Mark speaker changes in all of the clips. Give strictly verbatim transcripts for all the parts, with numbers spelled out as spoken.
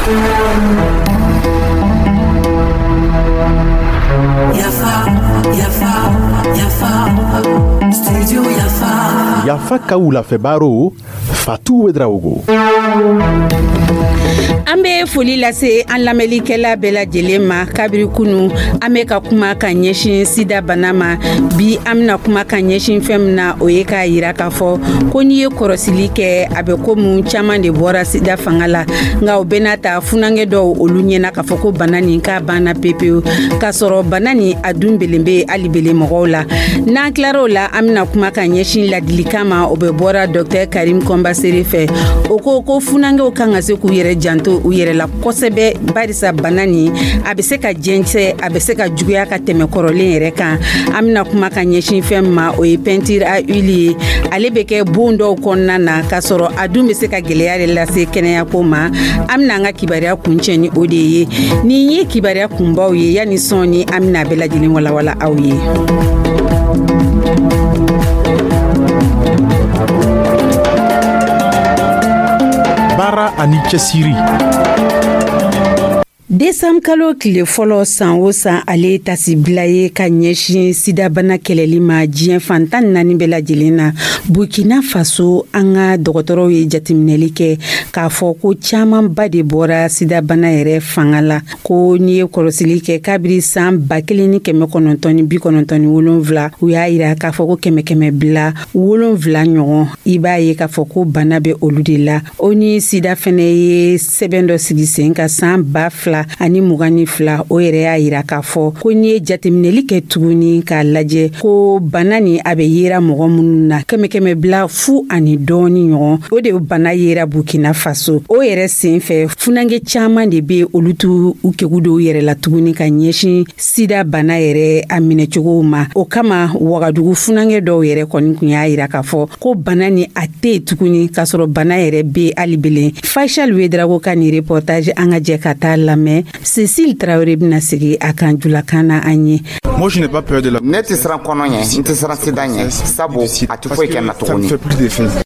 Speaker 1: Yafa, Yafa, Yafa, Studio Yafa.
Speaker 2: Yafa ka wulafɛ baro, Fatu Ouédraogo.
Speaker 3: An be foli lase an lamɛnlikɛla bɛɛ lajɛlen ma. Kabiri kunu, an be ka kuma ka ɲɛsin sida bana ma. Bi, an bena kuma ka ɲɛsin fɛn min na, o ye k'a yira k'a fɔ ko n'i ye kɔrɔsili kɛ, a bɛ komi caaman de bɔra sida fanga la, nka o bɛɛ n'a ta, funankɛ dɔw olu ɲɛna k'a fɔ ko bana nin k'a banna pepewu, k'a sɔrɔ bana nin a dun belen be hali bele mɔgɔw la. N'an tilar'o la, an bena kuma ka ɲɛsin ladilikan ma, o bɛ bɔra Docteur Karim Kɔnbasere fɛ. O ko ko funankɛw kan ka se k'u yɛrɛ janto u yɛrɛ la kosɛbɛ, barisa bana nin a bɛ se ka jɛnsɛ, a bɛ se ka juguya ka tɛmɛ kɔrɔlen yɛrɛ kan. An bena kuma ka ɲɛsin fɛn min ma, o ye peinture à huile ye. Ale bɛ kɛ bon dɔw kɔnɔna na, k'a sɔrɔ a dun bɛ se ka gwɛlɛya de lase kɛnɛyako ma. An bena an ka kibaruya kuncɛ ni o de ye. Nin ye kibaruya kunbaw ye. Yanni sɔɔni, an bena bɛɛ lajɛlen walawala aw ye.
Speaker 2: Baara ani cɛsiri.
Speaker 3: Desanburu kalo tile fɔlɔ san o san, ale ye tasibila ye ka ɲɛsin sidabana kɛlɛli ma diɲɛ fan tan naani bɛɛ lajɛlen na. Burkina Faso, an ka dɔgɔtɔrɔw ye jateminɛli kɛ k'a fɔ ko caamanba de bɔra sidabana yɛrɛ fanga la. Ko n'i ye kɔlɔsili kɛ kabiri san ba kelen ni kɛmɛ kɔnɔntɔn ni bi kɔnɔntɔn ni wolonfila, u y'a yira k'a fɔ ko kɛmɛ kɛmɛ bila wolonfila ɲɔgɔn, i b'a ye k'a fɔ ko bana bɛ olu de la. O ni sida fɛnɛ ye sɛbɛn dɔ sigi sen ka san ba fila ani mugan ni fila. O yɛrɛ y'a yira k'a fɔ ko n'i ye jateminɛli kɛ tuguni k'a lajɛ, ko bana ni a bɛ yera mɔgɔ minnu na, kɛmɛ kɛmɛ bila fu ani dɔɔni ɲɔgɔn, o de bana yera Burkina Faso. O yɛrɛ sen fɛ, funankɛ caaman de be olu t'u u kegu dɔw yɛrɛ la tuguni ka ɲɛsin sida bana yɛrɛ a minɛcogow ma. O kama, Wagadugu funankɛ dɔw yɛrɛ kɔni kun y'a yira k'a fɔ ko bana ni a tɛ yen tuguni, k'a sɔrɔ bana yɛrɛ be hali belen. Faisal Ouédraogo ka nin reportage, an ka jɛ ka taa lamɛn. Cécile Traoré bɛna sigi a kan julakan na an ye.
Speaker 4: Moi, je n'ai pas peur de la.
Speaker 5: Ne tɛ siran kɔnɔ ɲɛ, n tɛ siran sida ɲɛ, sabu a tɛ foyi kɛ n na tuguni.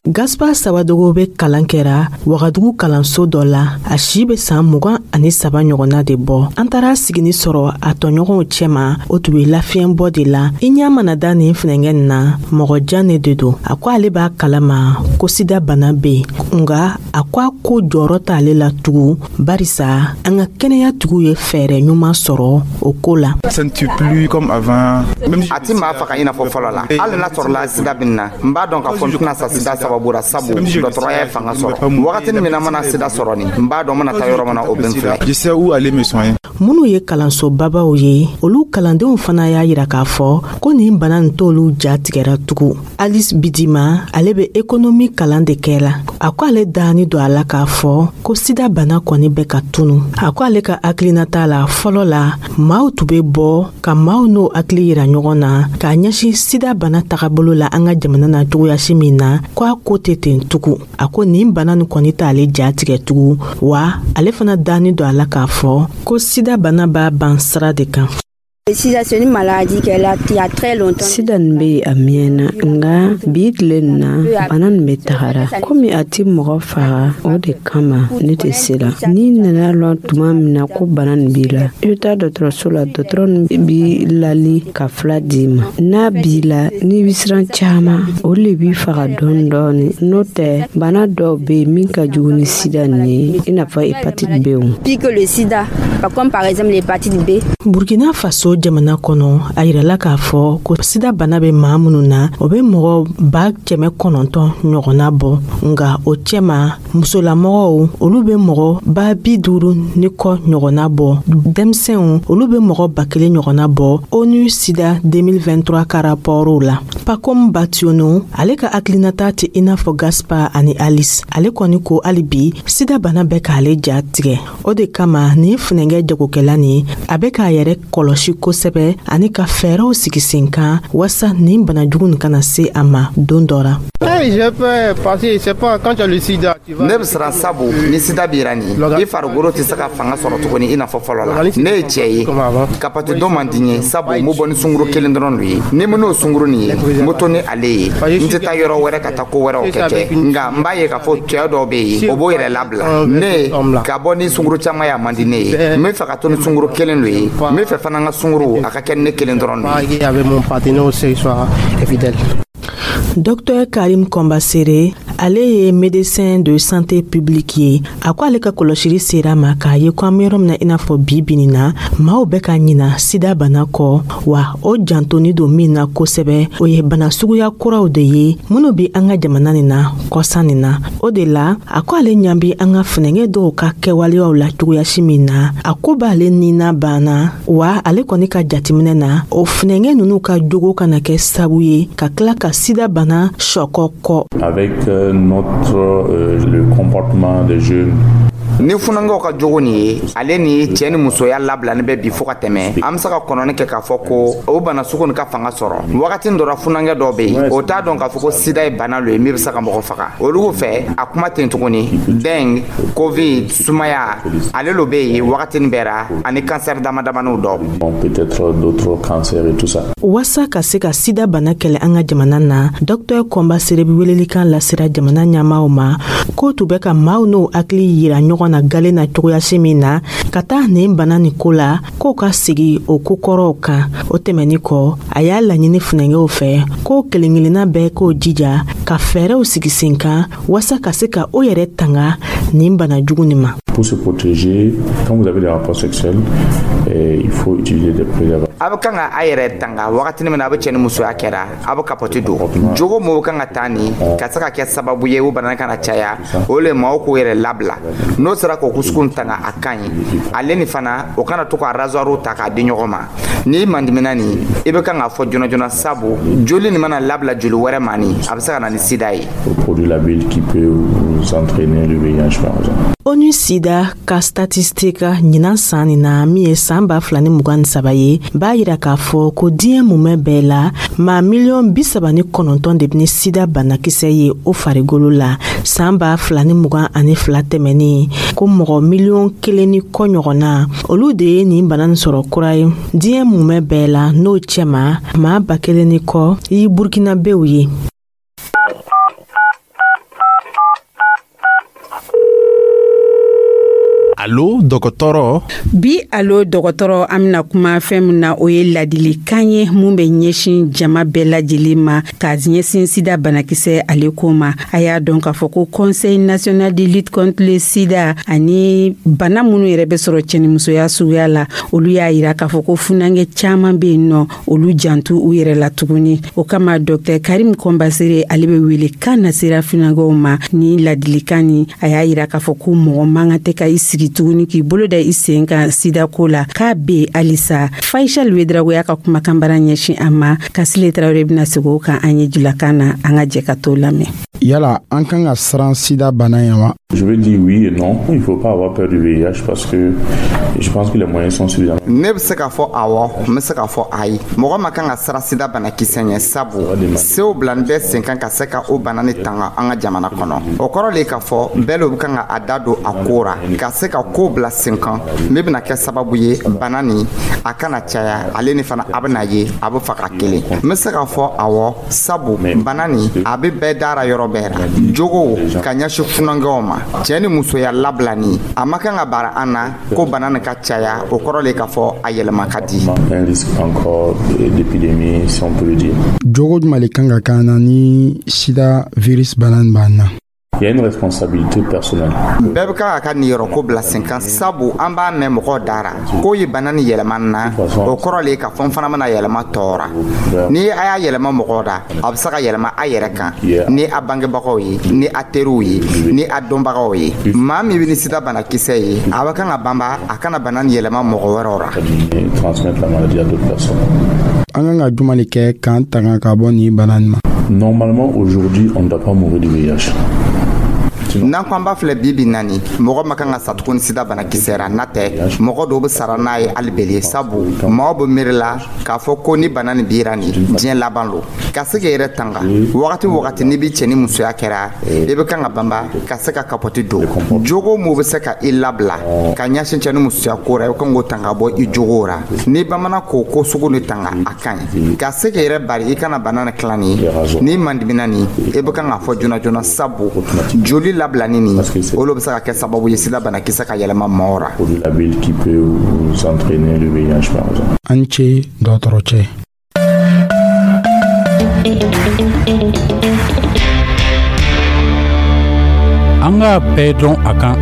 Speaker 6: Gaspar Sawadogo bɛ kalan kɛra Wagadugu kalanso dɔ la. A si bɛ san mugan ani saba ɲɔgɔnna de bɔ. An taara sigini sɔrɔ a tɔɲɔgɔnw cɛma, o tun bɛ lafiɲɛbɔ de la. I ɲɛ mana da nin funɛngɛ nin na, mɔgɔ jan ne de don. A ko ale b'a kalama ko sida bana bɛ yen, nka a ko a ko jɔyɔrɔ t'ale la tugun, barisa an ka kɛnɛyatigiw ye fɛɛrɛ ɲuman sɔrɔ o ko la.
Speaker 4: Ça ne tue plus comme avant. Même si
Speaker 5: A ti maa faga i n'a fɔ fɔlɔ la. Hali n'a sɔrɔla sida bɛ na, n b'a dɔn k'a fɔ n tɛna sa sida sababu la, sabu dɔgɔtɔrɔya ye fanga sɔrɔ. Wagatinin min na mana sida sɔrɔ nin, n b'a dɔn n mana taa yɔrɔ min na, o bɛ n filɛ.
Speaker 4: Je sais où aller me soigner.
Speaker 6: Minnu ye kalanso babaw ye, olu kalandenw fana y'a yira k'a fɔ ko nin bana nin t'olu ja tigɛra tugun. Alice Bidima, ale bɛ économie kalan de kɛ la. A ko ale dani don a la k'a fɔ ko sida bana kɔni bɛ ka tunu. A ko ale ka hakilinata la, fɔlɔ la, maaw tun bɛ bɔ ka maaw n'o hakili yira ɲɔgɔn na k'a ɲɛsin sida bana tagabolo la an ka jamana na cogoyasi min na, ko a ko tɛ ten tugun. A ko nin bana nin kɔni t'ale ja tigɛ tugun, wa ale fana dani don a la k'a fɔ ko sida bana b'a ban sira de kan.
Speaker 7: Sida, c'est une maladie qui est là il y a très longtemps.
Speaker 8: Sida nin bɛ yen a mɛnna, nka bi tile nin na, bana nin bɛ tagara. Komi a ti mɔgɔ faga, o de kama ne tɛ siran. N'i nana lɔn tuma min na ko bana nin b'i la, i bɛ taa dɔgɔtɔrɔso la, dɔgɔtɔrɔ nin b'i lali ka fila d'i ma. N'a b'i la, n'i bɛ siran caman, o le b'i faga dɔɔni dɔɔni. N'o tɛ, bana dɔw bɛ yen min ka jugu ni sida nin ye, i n'a fɔ hépatite B o.
Speaker 7: Pire que le sida, comme par exemple l'hépatite B.
Speaker 6: Burkina Faso jamana kɔnɔ, a yirala k'a fɔ ko sida bana bɛ maa minnu na, o bɛ mɔgɔ ba kɛmɛ kɔnɔntɔn ɲɔgɔnna bɔ. Nga o cɛma, musolamɔgɔw, olu bɛ mɔgɔ ba bi duuru ni kɔ ɲɔgɔnna bɔ. Denmisɛnw, olu bɛ mɔgɔ ba kelen ɲɔgɔnna bɔ, ONU Sida deux mille vingt-trois ka rapportw la. Pakom Bationo, ale ka hakilinata tɛ i n'a fɔ Gaspar ani Alice. Ale kɔni ko hali bi, sida bana bɛ k'ale ja tigɛ. O de kama, nin funɛngɛ jagokɛla nin, a bɛ k'a yɛrɛ kɔlɔsi. kosɛbɛ ani ka fɛɛrɛw sigi sen kan waasa nin bana jugu nin kana se a ma don dɔ ra.
Speaker 5: Ne bɛ siran, sabu ni sida b'i ra nin, i farikolo tɛ se ka fanga sɔrɔ tuguni i n'a fɔ fɔlɔ la. Ne ye cɛ ye, kapati dɔ man di n ye, sabu n bɛ bɔ ni sunkuru kelen dɔrɔn de ye. Ni n n'o sunkuru nin ye, n bɛ to ni ale ye, n tɛ taa yɔrɔ wɛrɛ ka taa ko wɛrɛw kɛ kɛ Nka n b'a ye k'a fɔ cɛ dɔw bɛ yen, o b'o yɛrɛ labila. Ne ka bɔ ni sunkuru caman ye, a man di ne ye. N bɛ fɛ ka to ni sunkuru kelen de ye. N bɛ fɛ fana n ka sunkuru a ka kɛ ne kelen dɔrɔn de ye.
Speaker 6: Docteur Karim Kɔnbasere, ale ye médecin de santé publique ye. A ko ale ka kɔlɔsili sera ma k'a ye ko an be yɔrɔ min na, i n'a fɔ bi bini na, maaw bɛ ka ɲina sida bana kɔ. Wa o jantoni don min na kosɛbɛ, o ye bana suguya kuraw de ye minnu bi an ka jamana nin na kɔsa nin na. O de la, a ko ale ɲa bi an ka funɛngɛ dɔw ka kɛwaleyaw la cogoyasi min na, a ko b'ale nina banna. Wa ale kɔni ka jatiminɛ na, o funɛngɛ nunu ka jogo kana kɛ sabu ye ka tila ka sida bana sɔkɔ kɔ.
Speaker 9: Avec euh, notre euh, le comportement des jeunes.
Speaker 5: Ni funankɛw ka jogo nin ye, ale ni cɛɛ ni musoya labilani bɛ bi fɔɔ ka tɛmɛ, an be se ka kɔnɔni kɛ k'a fɔ ko o bana sugu nin ka fanga sɔrɔ. Wagati dɔ ra, funankɛ dɔw be yen, o t'a dɔn k'a fɔ ko sida ye bana lo ye min be se ka mɔgɔ faga. Olugu fɛ, a kuma ten tuguni, dengue, COVID, sumaya, ale lo be yen wagatinin bɛɛ ra, ani kansɛri dama damaniw dɔ.
Speaker 9: Bon, peut-être d'autres cancers et tout ça.
Speaker 6: Waasa ka se ka sida bana kɛlɛ an ka jamana na, Dɔktɛr Kɔnbasere be welelikan lasera jamana ɲɛmaw ma k'o tun bɛ ka maaw n'o hakili yira ɲɔgɔn na galen na cogoyasi min na ka taa nin bana nin ko la, k'o ka sigi o kokɔrɔw kan. O tɛmɛni kɔ, a y'a laɲini funɛngɛw fɛ k'o kelen-kelenna bɛɛ k'o jija ka fɛɛrɛw sigi sen kan waasa ka se ka o yɛrɛ tanga nin bana jugu nin ma.
Speaker 9: Pour se protéger, quand vous avez des rapports sexuels, eh, il faut utiliser des préservatifs.
Speaker 5: A bɛ kan ka a yɛrɛ tanga wagatini min na a bɛ cɛ ni musoya kɛra, a bɛ kapɔti don. Jogo mɔgɔw kan ka taa nin ka se ka kɛ sababu ye o bana kana caya, o le maaw k'o yɛrɛ labila. N'o sera k'o sugu tanga, a ka ɲi. Ale ni fana, o kana to ka rasoir ta k'a di ɲɔgɔn ma. N'i mandimina nin, i bɛ kan k'a fɔ joona joona, sabu joli nin mana labila joli wɛrɛ ma nin, a bɛ se ka na ni sida ye.
Speaker 9: Produit labile qui peut vous entraîner le V I H par exemple.
Speaker 6: ONU Sida ka statistique ɲinan san nin na, min ye saan ba fila ni mugan ni saba ye, b'a yira k'a fɔ ko diɲɛ mumɛ bɛɛ la, maa miliyɔn bi saba ni kɔnɔntɔn de bɛ ni sida banakisɛ ye o farigolo la. Saan ba fila ni mugan ani fila tɛmɛnin, ko mɔgɔ miliyɔn kelen ni kɔ ɲɔgɔnna, olu de ye nin bana nin sɔrɔ kura ye diɲɛ mumɛ bɛɛ la. N'o cɛma, maa ba kelen ni kɔ i Burukinabew ye.
Speaker 2: Alo dɔgɔtɔrɔ.
Speaker 3: Bi Alo dɔgɔtɔrɔ, an bena kuma fɛn min na, o ye ladilikan ye mun bɛ ɲɛsin jama bɛɛ lajɛlen ma ka ɲɛsin sida banakisɛ ale ko ma. A y'a dɔn k'a fɔ ko Conseil national de lutte contre le sida ani bana minnu yɛrɛ bɛ sɔrɔ cɛnimusoya suguya la, olu y'a yira k'a fɔ ko funankɛ caaman be yen nɔ, olu jantu u yɛrɛ la tuguni. O kama, Dɔktɛr Karim Kɔnbasere, ale be wele kan nasera funankɛw ma ni ladilikan ni. A y'a yira k'a fɔ ko mɔgɔ man kan tɛ ka i sigi tuguni k'i bolo da i sen kan sidako la, k'a be halisa. Faisal Wedrago y'a ka kumakan bara ɲɛsin a ma. Kasile Tarawele bɛna segin o kan an ye julakan na. An ka jɛ ka t'o lamɛn.
Speaker 10: Yala an kan ka siran sida bana ye wa?
Speaker 9: Je veux dire oui et non. Il ne faut pas avoir peur du V I H parce que je pense que les moyens sont suffisants.
Speaker 5: Ne bɛ se k'a fɔ awɔ, n bɛ se k'a fɔ ayi. Mɔgɔ ma kan ka siran sida banakisɛ ɲɛ, sabu sew bilani bɛ sen kan ka se ka o bana ni tanga an ka jamana kɔnɔ. O kɔrɔ le k'a fɔ bɛɛ lo bɛ kan ka a da don a ko ra, ka se ka ko bila sen kan min bɛna kɛ sababu ye bana nin a kana caya. Ale ni fana, a bɛna ye a bɛ faga kelen. N bɛ se k'a fɔ awɔ, sabu bana nin a bɛ bɛɛ dara yɔrɔ bɛɛ ra. Jogow ka ɲɛsin funankɛw ma, cɛɛ ni musoya labilani, a ma kan ka bara an na ko bana nin ka caya. O kɔrɔ le k'a fɔ a yɛlɛma ka di.
Speaker 9: Un risque encore d'épidémie, si on peut le dire.
Speaker 10: Jogo jumɛn le kan ka k'an na ni sida virus bana nin b'an na?
Speaker 9: Il y a une responsabilité personnelle.
Speaker 5: Bɛɛ bɛ kan ka ka niyɔrɔko bila sen kan, sabu an b'a mɛn mɔgɔw dara k'o ye bana ni yɛlɛma na. O kɔrɔ le k'a fɔ n fana bɛna yɛlɛma tɔɔra. Ni a y'a yɛlɛma mɔgɔw da, a bɛ se ka yɛlɛma a yɛrɛ kan, ni a bangebagaw ye, ni a teriw ye, ni a dɔnbagaw ye. Maa min bɛ ni sida banakisɛ ye, a bɛ kan ka banba a kana bana ni yɛlɛma mɔgɔ wɛrɛw ra.
Speaker 9: Transmettre la maladie à d'autres personnes.
Speaker 10: An kan ka jumɛn de kɛ k'an tanga ka bɔ nin bana nin ma?
Speaker 9: Normalement, aujourd'hui, on ne doit pas mourir du V I H.
Speaker 5: N'an ko an b'a filɛ, bi bi naani, mɔgɔ ma kan ka sa tuguni sida banakisɛ ra. N'a tɛ, mɔgɔ dɔw bɛ sara n'a ye hali bele, sabu maaw bɛ miiri la k'a fɔ ko ni bana nin bira nin, diɲɛ laban lo. Ka se k'i yɛrɛ tanga, wagati wagati n'i bi cɛ ni musoya kɛra, i bɛ kan ka banba ka se ka capote don. Jogo mun bɛ se ka i labila ka ɲɛsin cɛ ni musoya ko ra, i kan k'o tanga bɔ i jogo ra. N'i bamana k'o ko sugu ni tanga, a ka ɲi ka se k'i yɛrɛ bari i kana bana ni tilan. Ni n'i mandimina nin, i bɛ kan k'a fɔ joona joona, sabu joli labilani nin, olu bɛ se ka kɛ sababu ye sida banakisɛ ka yɛlɛma maaw ra.
Speaker 9: Labile qui peut vous entraîner le V I H par exemple.
Speaker 10: An ce, dɔgɔtɔrɔcɛ.
Speaker 11: An k'a bɛɛ dɔn a kan.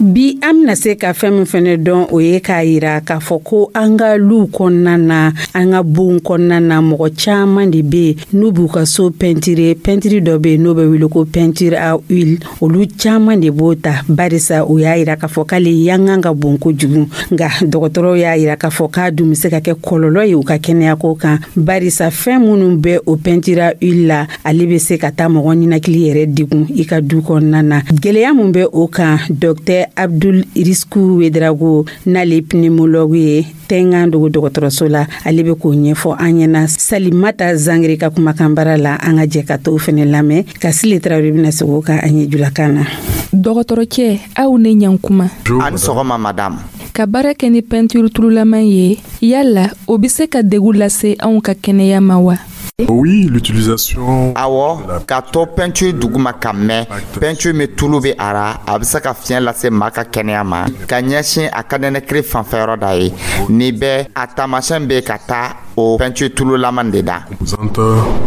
Speaker 3: Bi, an bena se ka fɛn min fɛnɛ dɔn, o ye k'a yira k'a fɔ ko an ka luw kɔnɔna na, an ka bonw kɔnɔna na, mɔgɔ caaman de be n'u b'u ka so pɛntire. Pɛntiri dɔ be n'o bɛ wele ko peinture à huile, olu caaman de b'o ta, barisa u y'a yira k'a fɔ k'ale yangan ka bon kojugu. Nka dɔgɔtɔrɔw y'a yira k'a fɔ k'a dun be se ka kɛ kɔlɔlɔ ye u ka kɛnɛyako kan, barisa fɛn minnu bɛ o peinture à huile la, ale be se ka taa mɔgɔ ninakili yɛrɛ degun i ka du kɔnɔna na. Gwɛlɛya mun bɛ o kan, Docteur Abdul Risku Wedrago, n'ale pneumologue ye Tɛngan Dogo dɔgɔtɔrɔso la, ale bɛ k'o ɲɛfɔ an ɲɛna Salimata Zangiri ka kumakan bara la. An ka jɛ ka t'o fɛnɛ lamɛn. Ka Sile Tarawele bɛna segin o kan an ye julakan na.
Speaker 12: Dɔgɔtɔrɔcɛ, aw ne ɲankuma.
Speaker 5: Ani sɔgɔma, madame.
Speaker 12: Ka baara kɛ ni pɛntiri tululaman ye, yala o be se ka degu lase anw ka kɛnɛya ma wa?
Speaker 13: Oui, l'utilisation.
Speaker 5: Awɔ, ka to peinture duguma ka mɛn, peinture min tulu bɛ a ra, a bɛ se ka fiɲɛ lase maa ka kɛnɛya ma, ka ɲɛsin a ka nɛnɛkiri fanfɛyɔrɔ da ye. Nin bɛɛ a taamasiyɛn bɛ ka taa o peinture tululaman de da.
Speaker 13: Composante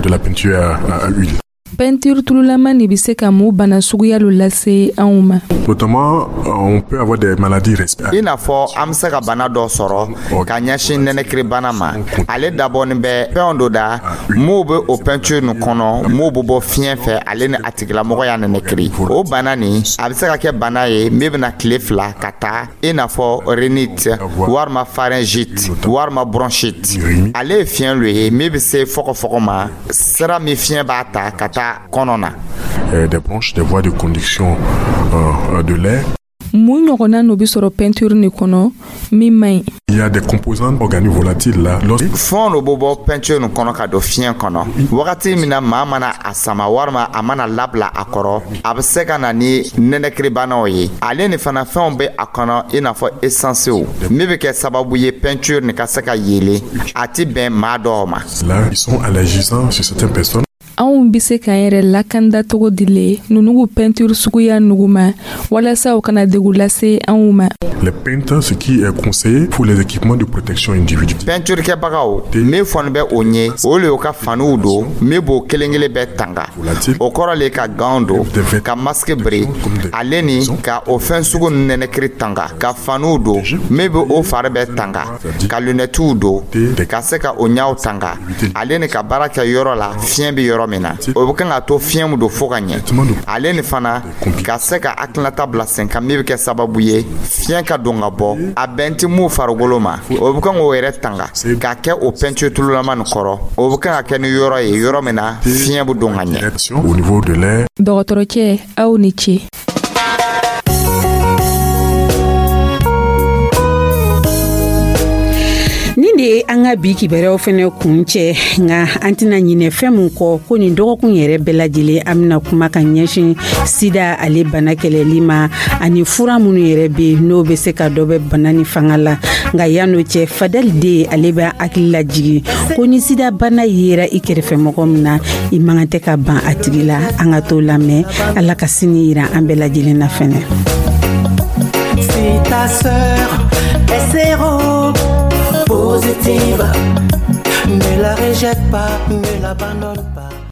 Speaker 13: de la peinture à, à huile.
Speaker 12: Pɛntiri tululama nin be se ka mun bana suguya lo lase anw ma?
Speaker 13: Notamment, on peut avoir des maladies respiratoires.
Speaker 5: I n'a fɔ an bɛ se ka bana dɔ sɔrɔ ka ɲɛsin nɛnɛkiri bana ma. Ale dabɔnin bɛ fɛnw dɔ da m'o bɛ o peinture nin kɔnɔ, m'o bɛ bɔ fiɲɛ fɛ, ale ni a tigilamɔgɔ y'a nɛnɛkiri. O bana nin, a bɛ se ka kɛ bana ye min bɛna tile fila ka taa, i n'a fɔ rhinite walima pharyngite walima bronchite. Ale ye fiɲɛ lo ye min bɛ se fɔgɔfɔgɔ ma, sira min fiɲɛ b'a ta ka taa kɔnɔ na.
Speaker 13: Des bronches, des voies de conduction euh, de l'air.
Speaker 12: Mun ɲɔgɔnna n'o be sɔrɔ pɛntiri nin kɔnɔ min man ɲi?
Speaker 13: Il y a des composants organiques volatiles là. Lorsque
Speaker 5: Fɛnw dɔ bɛ bɔ peinture nin kɔnɔ ka don fiɲɛ kɔnɔ. Wagati min na maa mana a sama walima a mana labila a kɔrɔ, a bɛ se ka na ni nɛnɛkiribanaw ye. Ale ni fana, fɛnw bɛ a kɔnɔ i n'a fɔ essancew, min bɛ kɛ sababu ye peinture nin ka se ka yeelen, a ti bɛn maa dɔw ma.
Speaker 13: Là, ils sont allergisants sur certaines personnes.
Speaker 12: Anw be se k'an yɛrɛ lakanda cogo di le nunugu pɛntiri suguya nugu ma, walasa u kana degu lase anw ma?
Speaker 13: Les peintres, ce qui est conseillé pour les équipements de protection individuelle.
Speaker 5: Peinture kɛbagaw, min fɔni bɛ o ɲɛ, o le y'o ka faniw don min b'o kelen kelen bɛɛ tanga. O kɔrɔ le ka gants don, ka masque biri, ale ni ka o fɛn sugu nɛnɛkiri tanga, ka faniw don min bɛ o fari bɛɛ tanga, ka lunettiw don ka se ka o ɲaw tanga, ale ni ka baara kɛ yɔrɔ la fiɲɛ bɛ yɔrɔ min na, o bɛ kan ka to fiɲɛ min don fo ka ɲɛ. Ale ni fana, ka se ka hakilinata bila sen kan min bɛ kɛ sababu ye fiɲɛ ka don ka bɔ, a bɛn tɛ mun farikolo ma, o bɛ kan k'o yɛrɛ tanga k'a kɛ o peinture tululama nin kɔrɔ. O bɛ kan ka kɛ ni yɔrɔ ye, yɔrɔ min na fiɲɛ bɛ don ka ɲɛ.
Speaker 13: Au niveau de l'air.
Speaker 12: Dɔgɔtɔrɔcɛ, aw ni ce.
Speaker 3: Nin de ye an ka bi kibaruyaw fɛnɛ kun cɛ. Nka an tɛna ɲinɛ fɛn mun kɔ, ko nin dɔgɔkun yɛrɛ bɛɛ lajɛlen, an bɛna kuma ka ɲɛsin sida ale bana kɛlɛli ma, ani fura minnu yɛrɛ bɛ yen n'o bɛ se ka dɔ bɛ bana ni fanga la. Nka yan'o cɛ, Fadali de, ale bɛ hakili lajigin ko ni sida bana yera i kɛrɛfɛ mɔgɔ min na, i man kan tɛ ka ban a tigi la. An ka t'o lamɛn. Ala ka sini yira an bɛɛ lajɛlen na fɛnɛ.
Speaker 1: Si ta sœur est séropositive, ne la rejette pas, ne l'abandonne pas.